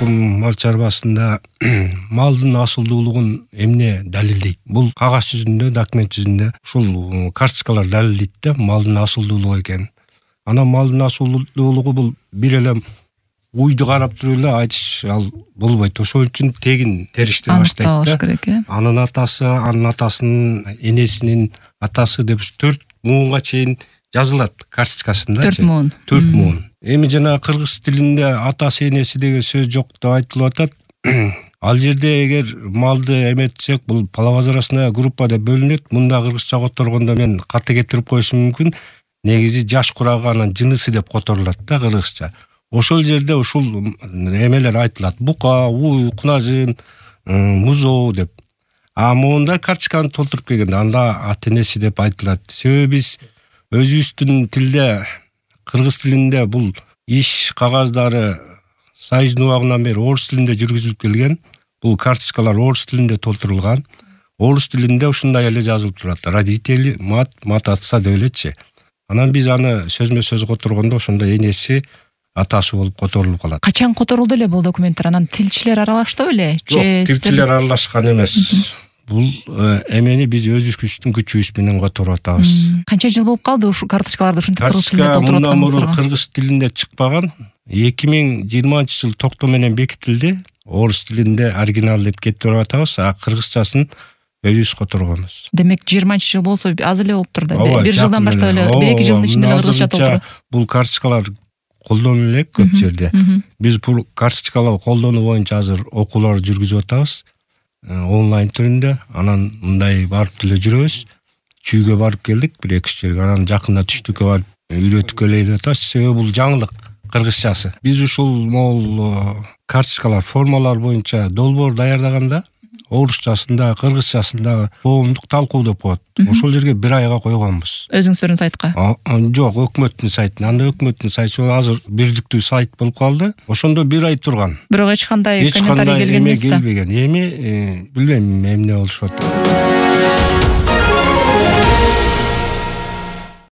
мал чарбасында малдын асылдуулугун эмне далилдейт? Бул кагаз жүзүндө, документ жүзүндө ушул карточкалар далилдейт да малдын асылдуулугу экенин. Анан малдын асылдуулугу бул бир эле уйду карап туруп эле айтыш ал болбойт. Ошол үчүн тегин териштире баштайт да. Керек, Анын атасы, анын атасынын, энесинин атасы деп 4 муунга чейин жазылат карточкасында. 4 муун. 4 муун. Эми жана кыргыз тилинде атасы, энеси деген сөз жок деп айтылып атат. Ал жерде эгер малды эметсек, бул половозрастная группа деп бөлүнөт. Мында кыргызча которгондо мен каты кетирип коюшум мүмкүн. Негизи жаш курагы анын жынысы деп которулат да кыргызча. Ошол жерде ушул эмелер айтылат. Бука, уй, кунажын, музоо деп. А моунда карточканы толтуруп келгенде анда ата-энеси деп айтылат. Себеби биз өзүбүздүн тилде, кыргыз тилинде бул иш кагаздары союздун убагынан бери орус тилинде жүргүзүлүп келген. Бул карточкалар орус тилинде толтурулган. Орус тилинде ушундай эле жазылып турат. Родители, мат отца деп элечи. Анан биз аны сөзмө-сөз которгондо ошондо энеси, атасы болуп которулуп калат. Качан которулду эле бул документтер? Анан тилчилер аралаштыбы эле? Жок, тилчилер аралашкан эмес. Бул эмени биз өзүбүздүн күчүбүз менен которуп атабыз. Канча жыл болуп калды ушу карточкаларды ушинтип кыргыз тилинде толтуруп толтуруп атканыңыздарга? мурун кыргыз тилинде чыкпаган. 2020-жыл токтом менен бекитилди. Орус тилинде оригинал деп кетирип атабыз, а кыргызчасын өзүбүз которгонбуз. Демек 20-жыл болсо аз эле болуп турду. Бир жылдан баштап эле, 1-2 жылдын ичинде кыргызча толтуруп. Бул карточкалар колдонулуп элек көп жерде. Биз бул карточкалар колдонуу боюнча азыр окуулар жүргүзүп атабыз. Онлайн түрүндө. Анан мындай барып деле жүрөбүз. Чүйгө барып келдик, 1-2 жерге. Анан жакында түштүккө барып үйрөтүп келейин деп атабыз. Себеби бул жаңылык кыргызчасы. Биз ушул могул карточкалар, формалар боюнча долбоор даярдаганда орусчасында, кыргызчасында коомдук талкуу деп коет. Ошол жерге 1 айга койгонбуз. Өзүңүздөрдүн сайтка? Жок, өкмөттүн сайтына. Анда өкмөттүн сайты азыр бирдиктүү сайт болуп калды. Ошондо 1 ай турган. Бирок эч кандай комментарий келген эмес да. Эми билбейм эмне болушуп атат.